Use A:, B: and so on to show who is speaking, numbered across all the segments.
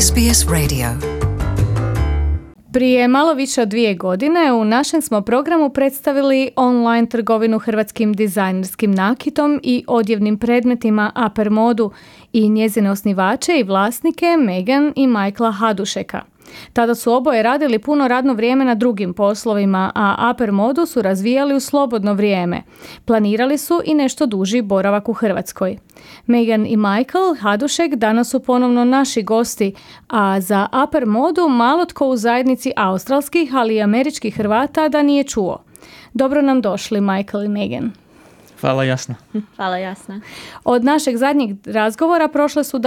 A: SBS Radio.
B: Prije malo više od 2 godine u našem smo programu predstavili online trgovinu hrvatskim dizajnerskim nakitom i odjevnim predmetima Upper Modu i njezine osnivače i vlasnike Megan i Michaela Hadušeka. Tada su oboje radili puno radno vrijeme na drugim poslovima, a Upper Modu su razvijali u slobodno vrijeme. Planirali su i nešto duži boravak u Hrvatskoj. Megan i Michael Hadušek danas su ponovno naši gosti, a za Upper Modu malo tko u zajednici australskih, ali i američkih Hrvata da nije čuo. Dobro nam došli, Michael i Megan.
C: Hvala, Jasna.
D: Hvala, Jasna.
B: Od našeg zadnjeg razgovora prošle su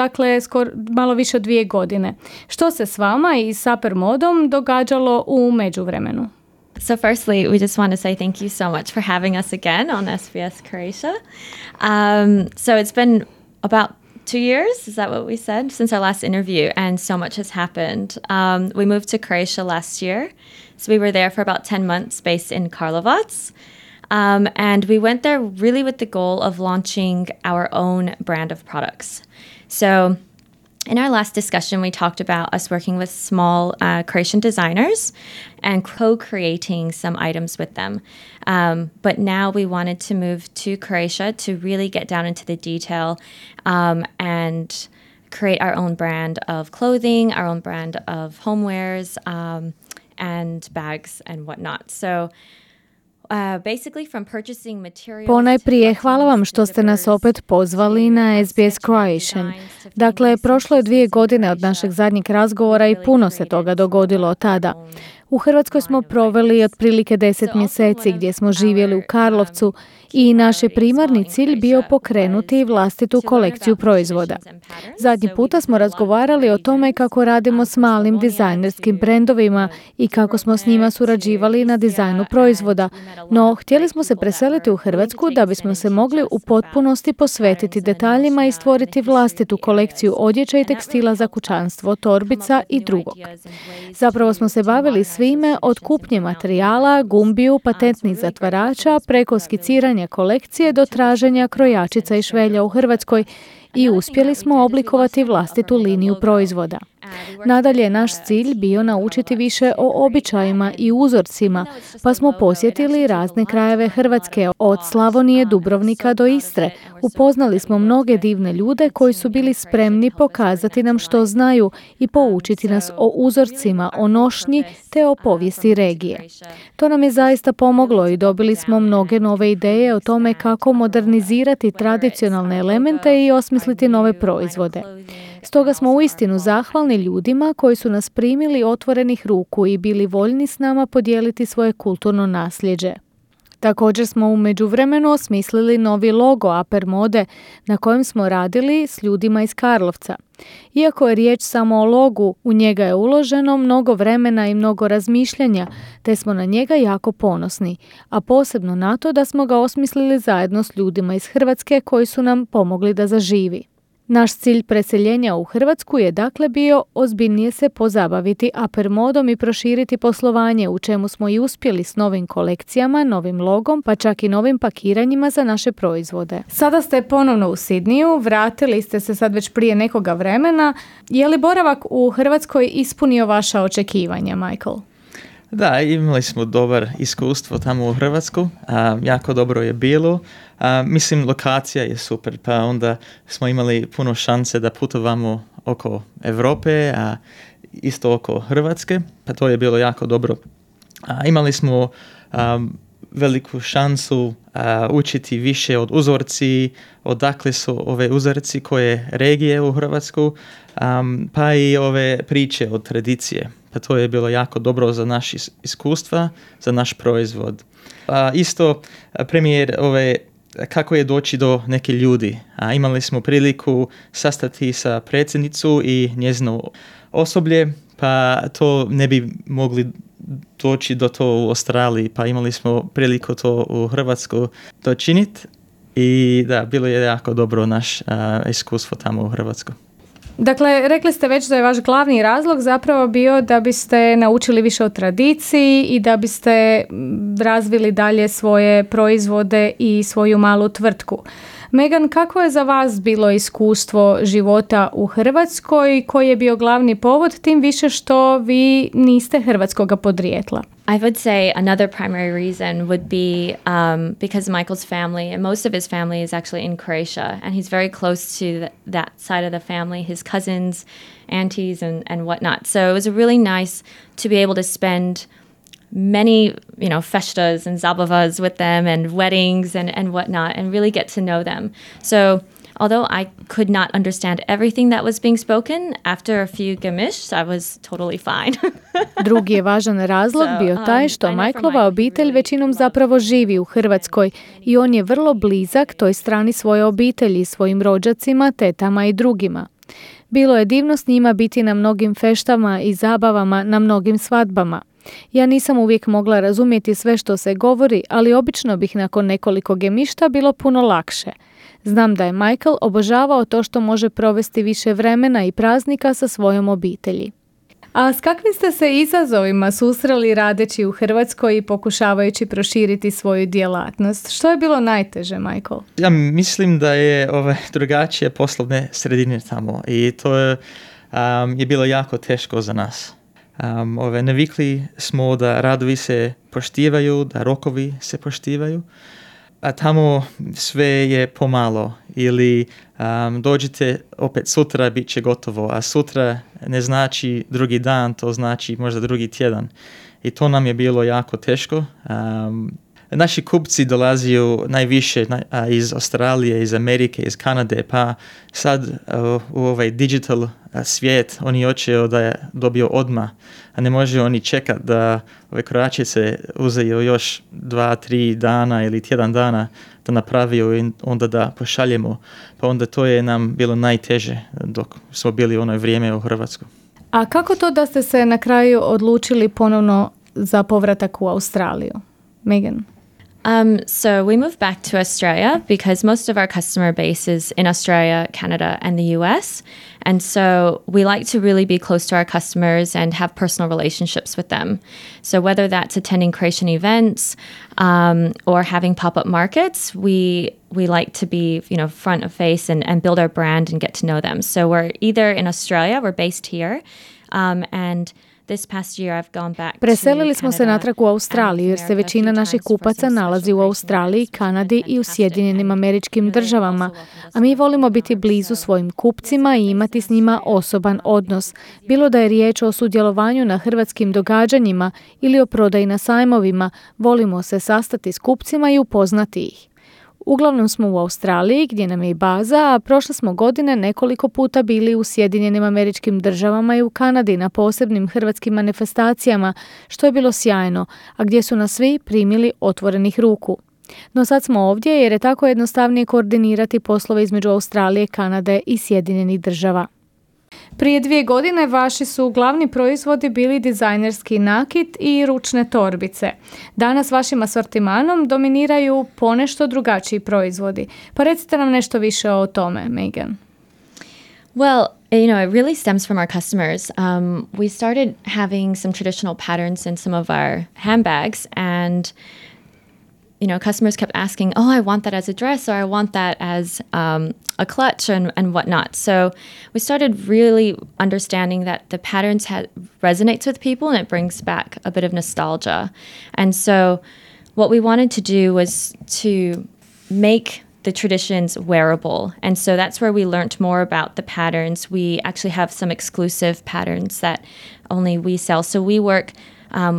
B: malo više od 2 godine. Što se s vama i s Upper Modom događalo u međuvremenu?
D: So firstly, we just want to say thank you so much for having us again on SBS Croatia. So it's been about 2 years, is that what we said, since our last interview, and so much has happened. We moved to Croatia last year, so we were there for about 10 months based in Karlovac. And we went there really with the goal of launching our own brand of products. So in our last discussion, we talked about us working with small Croatian designers and co-creating some items with them. But now we wanted to move to Croatia to really get down into the detail and create our own brand of clothing, our own brand of homewares, and bags and whatnot. So
B: Ponajprije hvala vam što ste nas opet pozvali na SBS Croatian. Dakle, prošlo je 2 godine od našeg zadnjeg razgovora i puno se toga dogodilo od tada. U Hrvatskoj smo proveli otprilike 10 mjeseci gdje smo živjeli u Karlovcu i naš je primarni cilj bio pokrenuti vlastitu kolekciju proizvoda. Zadnji puta smo razgovarali o tome kako radimo s malim dizajnerskim brendovima i kako smo s njima surađivali na dizajnu proizvoda, no htjeli smo se preseliti u Hrvatsku da bismo se mogli u potpunosti posvetiti detaljima i stvoriti vlastitu kolekciju odjeće i tekstila za kućanstvo, torbica i drugog. Zapravo smo se bavili svime od kupnje materijala, gumbiju, patentnih zatvarača, preko skiciranja kolekcije do traženja krojačica i švelja u Hrvatskoj i uspjeli smo oblikovati vlastitu liniju proizvoda. Nadalje je naš cilj bio naučiti više o običajima i uzorcima, pa smo posjetili razne krajeve Hrvatske, od Slavonije, Dubrovnika do Istre. Upoznali smo mnoge divne ljude koji su bili spremni pokazati nam što znaju i poučiti nas o uzorcima, o nošnji te o povijesti regije. To nam je zaista pomoglo i dobili smo mnoge nove ideje o tome kako modernizirati tradicionalne elemente i osmisliti nove proizvode. Stoga smo uistinu zahvalni ljudima koji su nas primili otvorenih ruku i bili voljni s nama podijeliti svoje kulturno nasljeđe. Također smo u međuvremenu osmislili novi logo Upper Mode na kojem smo radili s ljudima iz Karlovca. Iako je riječ samo o logu, u njega je uloženo mnogo vremena i mnogo razmišljanja, te smo na njega jako ponosni, a posebno na to da smo ga osmislili zajedno s ljudima iz Hrvatske koji su nam pomogli da zaživi. Naš cilj preseljenja u Hrvatsku je dakle bio ozbiljnije se pozabaviti Upper Modom i proširiti poslovanje, u čemu smo i uspjeli s novim kolekcijama, novim logom, pa čak i novim pakiranjima za naše proizvode. Sada ste ponovno u Sidniju, vratili ste se sad već prije nekoga vremena. Je li boravak u Hrvatskoj ispunio vaša očekivanja, Michael?
C: Da, imali smo dobar iskustvo tamo u Hrvatsku, jako dobro je bilo. Mislim, lokacija je super, pa onda smo imali puno šanse da putovamo oko Europe, a isto oko Hrvatske, pa to je bilo jako dobro. Imali smo veliku šansu učiti više od uzorci, odakle su ove uzorci koje regije u Hrvatsku, pa i ove priče od tradicije. Pa to je bilo jako dobro za naše iskustva, za naš proizvod. Isto premijer kako je doći do neke ljudi. Imali smo priliku sastati sa predsjednicu i njezino osoblje, pa to ne bi mogli doći do to u Australiji, pa imali smo priliku to u Hrvatsku dočiniti i da, bilo je jako dobro naš iskustvo tamo u Hrvatskoj.
B: Dakle, rekli ste već da je vaš glavni razlog zapravo bio da biste naučili više o tradiciji i da biste razvili dalje svoje proizvode i svoju malu tvrtku. Megan, kako je za vas bilo iskustvo života u Hrvatskoj? Koji je bio glavni povod, tim više što vi niste hrvatskoga podrijetla?
D: I would say another primary reason would be because Michael's family, and most of his family is actually in Croatia, and he's very close to that side of the family, his cousins, aunties, and whatnot. So it was really nice to be able to spend many, festas and zabavas with them and weddings and whatnot, and really get to know them. So although I could not understand everything that was being spoken, after a few gemish, I was totally fine.
B: Drugi je važan razlog bio taj što Michaelova obitelj većinom zapravo živi u Hrvatskoj i on je vrlo blizak toj strani svoje obitelji, svojim rođacima, tetama i drugima. Bilo je divno s njima biti na mnogim feštama i zabavama, na mnogim svadbama. Ja nisam uvijek mogla razumjeti sve što se govori, ali obično bih nakon nekoliko gemišta bilo puno lakše. Znam da je Michael obožavao to što može provesti više vremena i praznika sa svojom obitelji. A s kakvim ste se izazovima susreli radeći u Hrvatskoj i pokušavajući proširiti svoju djelatnost? Što je bilo najteže, Michael?
C: Ja mislim da je drugačije poslovne sredine tamo i to je bilo jako teško za nas. Navikli smo da radovi se poštivaju, da rokovi se poštivaju, a tamo sve je pomalo ili dođite opet sutra, bit će gotovo, a sutra ne znači drugi dan, to znači možda drugi tjedan. I to nam je bilo jako teško. Naši kupci dolaziju najviše iz Australije, iz Amerike, iz Kanade, pa sad u ovaj digital svijet oni hoće da je dobio odmah, a ne može oni čekati da ove krojačice uzaju još 2-3 dana ili tjedan dana da napraviju i onda da pošaljemo. Pa onda to je nam bilo najteže dok smo bili u ono vrijeme u Hrvatsku.
B: A kako to da ste se na kraju odlučili ponovno za povratak u Australiju? Megan?
D: So we moved back to Australia because most of our customer base is in Australia, Canada, and the US. And so we like to really be close to our customers and have personal relationships with them. So whether that's attending Croatian events or having pop-up markets, we like to be, front of face and build our brand and get to know them. So we're either in Australia, we're based here, and
B: Preselili smo se natrag u Australiju jer se većina naših kupaca nalazi u Australiji, Kanadi i u Sjedinjenim Američkim Državama, a mi volimo biti blizu svojim kupcima i imati s njima osoban odnos, bilo da je riječ o sudjelovanju na hrvatskim događanjima ili o prodaji na sajmovima, volimo se sastati s kupcima i upoznati ih. Uglavnom smo u Australiji, gdje nam je i baza, a prošle smo godine nekoliko puta bili u Sjedinjenim Američkim Državama i u Kanadi na posebnim hrvatskim manifestacijama, što je bilo sjajno, a gdje su nas svi primili otvorenih ruku. No sad smo ovdje jer je tako jednostavnije koordinirati poslove između Australije, Kanade i Sjedinjenih Država. Prije 2 godine vaši su glavni proizvodi bili dizajnerski nakit i ručne torbice. Danas vašim asortimanom dominiraju ponešto drugačiji proizvodi. Pa recite nam nešto više o tome, Megan.
D: Well, it really stems from our customers. We started having some traditional patterns in some of our handbags, and customers kept asking, I want that as a dress, or I want that as a clutch and whatnot. So we started really understanding that the patterns resonates with people and it brings back a bit of nostalgia. And so what we wanted to do was to make the traditions wearable. And so that's where we learned more about the patterns. We actually have some exclusive patterns that only we sell. So we work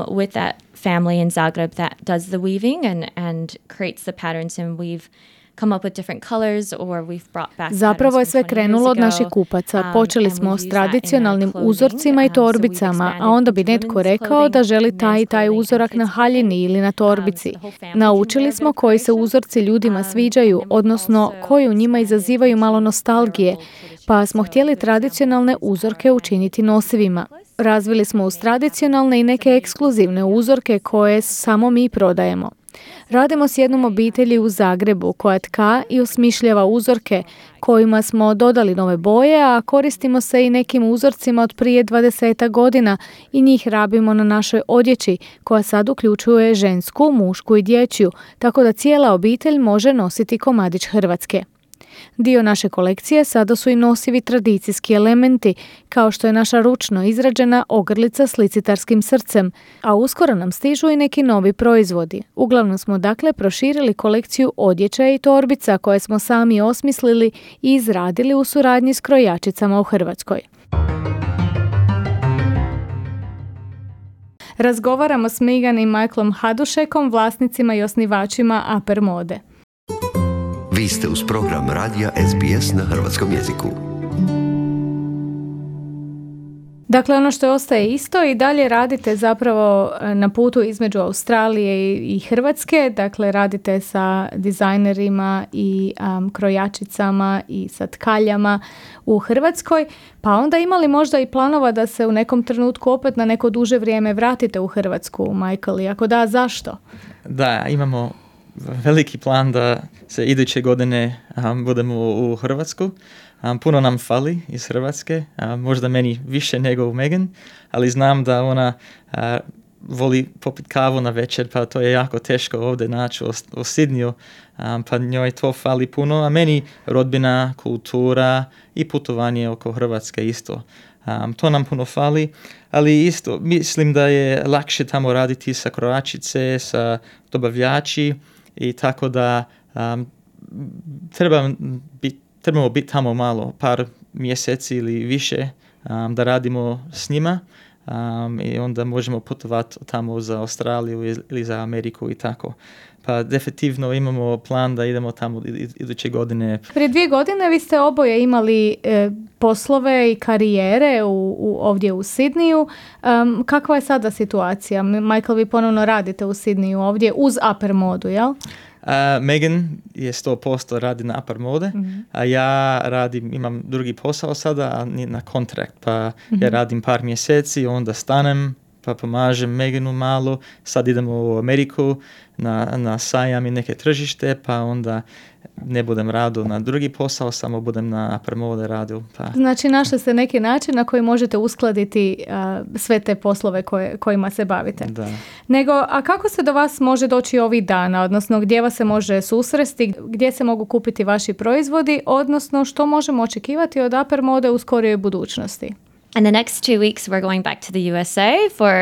D: with that family in Zagreb that does the weaving and creates the patterns, and we've come up with different colors or we've brought back.
B: Zapravo je sve krenulo od naših kupaca. Počeli smo s tradicionalnim uzorcima i torbicama, a onda bi netko rekao da želi taj i taj uzorak na haljini ili na torbici. Naučili smo koji se uzorci ljudima sviđaju, odnosno koji u njima izazivaju malo nostalgije, pa smo htjeli tradicionalne uzorke učiniti nosivima. Razvili smo uz tradicionalne i neke ekskluzivne uzorke koje samo mi prodajemo. Radimo s jednom obitelji u Zagrebu koja tka i osmišljava uzorke kojima smo dodali nove boje, a koristimo se i nekim uzorcima od prije 20 godina i njih rabimo na našoj odjeći koja sad uključuje žensku, mušku i dječju, tako da cijela obitelj može nositi komadić Hrvatske. Dio naše kolekcije sada su i nosivi tradicijski elementi, kao što je naša ručno izrađena ogrlica s licitarskim srcem, a uskoro nam stižu i neki novi proizvodi. Uglavnom smo dakle proširili kolekciju odjeća i torbica koje smo sami osmislili i izradili u suradnji s krojačicama u Hrvatskoj. Razgovaramo s Megan i Michaelom Hadušekom, vlasnicima i osnivačima Upper Mode.
A: Vi ste uz program radija SBS na hrvatskom jeziku.
B: Dakle, ono što ostaje isto i dalje radite zapravo na putu između Australije i Hrvatske. Dakle, radite sa dizajnerima i krojačicama i sa tkaljama u Hrvatskoj. Pa onda imali možda i planova da se u nekom trenutku opet na neko duže vrijeme vratite u Hrvatsku, Michael? I ako da, zašto?
C: Da, imamo veliki plan da se iduće godine budemo u Hrvatsku. Puno nam fali iz Hrvatske, možda meni više nego u Megan, ali znam da ona voli popiti kavu na večer, pa to je jako teško ovdje naći u Sydneyu, pa njoj to fali puno, a meni rodbina, kultura i putovanje oko Hrvatske isto. To nam puno fali, ali isto mislim da je lakše tamo raditi sa krojačice, sa dobavljači i tako da trebamo biti tamo malo, par mjeseci ili više da radimo s njima i onda možemo putovati tamo za Australiju ili za Ameriku i tako. Pa definitivno imamo plan da idemo tamo iduće godine.
B: Prije 2 godine vi ste oboje imali poslove i karijere ovdje u Sydneyu. Kakva je sada situacija? Michael, vi ponovno radite u Sydneyu ovdje uz Upper Modu, jel?
C: Megan je 100% radi na Upper Mode, a ja imam drugi posao sada, a na kontrakt, pa ja radim par mjeseci, onda stanem, pa pomažem Meganu malo, sad idemo u Ameriku na sajam i neke tržište, pa onda ne budem radio na drugi posao, samo budem na Upper Mode radio. Pa.
B: Znači našli ste neki način na koji možete uskladiti sve te poslove kojima se bavite.
C: Da.
B: A kako se do vas može doći ovih dana, odnosno gdje vas se može susresti, gdje se mogu kupiti vaši proizvodi, odnosno što možemo očekivati od Upper Mode u skorijoj budućnosti?
D: In the next 2 weeks, we're going back to the USA for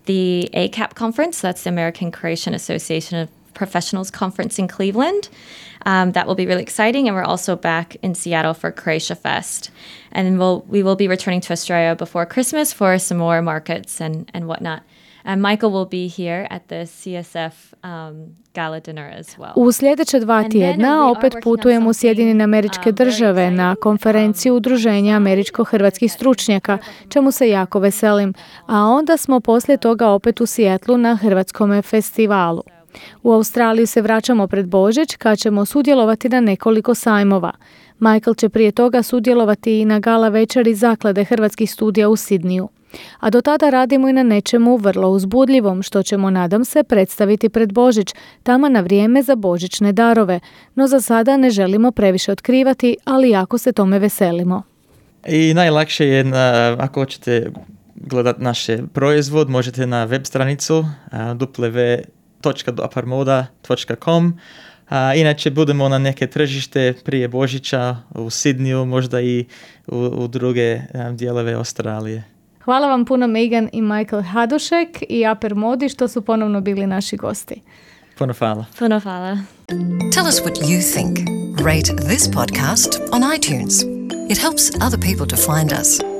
D: the ACAP conference. That's the American Croatian Association of Professionals Conference in Cleveland. That will be really exciting. And we're also back in Seattle for Croatia Fest. And we will be returning to Australia before Christmas for some more markets and whatnot. And Michael will be here at the CSF gala dinner as well.
B: U sljedeće 2 tjedna opet putujemo u Sjedinjene Američke Države na konferenciju Udruženja američko-hrvatskih stručnjaka, čemu se jako veselim. A onda smo poslije toga opet u Seattlu na Hrvatskome festivalu. U Australiju se vraćamo pred Božić kad ćemo sudjelovati na nekoliko sajmova. Michael će prije toga sudjelovati i na gala večeri Zaklade hrvatskih studija u Sydneyu. A do tada radimo i na nečemu vrlo uzbudljivom, što ćemo, nadam se, predstaviti pred Božić, taman na vrijeme za božićne darove. No za sada ne želimo previše otkrivati, ali jako se tome veselimo.
C: I najlakše je, ako hoćete gledati naš proizvod, možete na web stranicu www.uppermoda.com. Inače budemo na neke tržište prije Božića u Sydneyu, možda i u druge dijelove Australije.
B: Hvala vam puno Megan i Michael Hadušek i Upper Modi što su ponovno bili naši gosti.
C: Puno hvala.
D: Puno hvala.
A: Tell us what you think. Rate this podcast on iTunes. It helps other people to find us.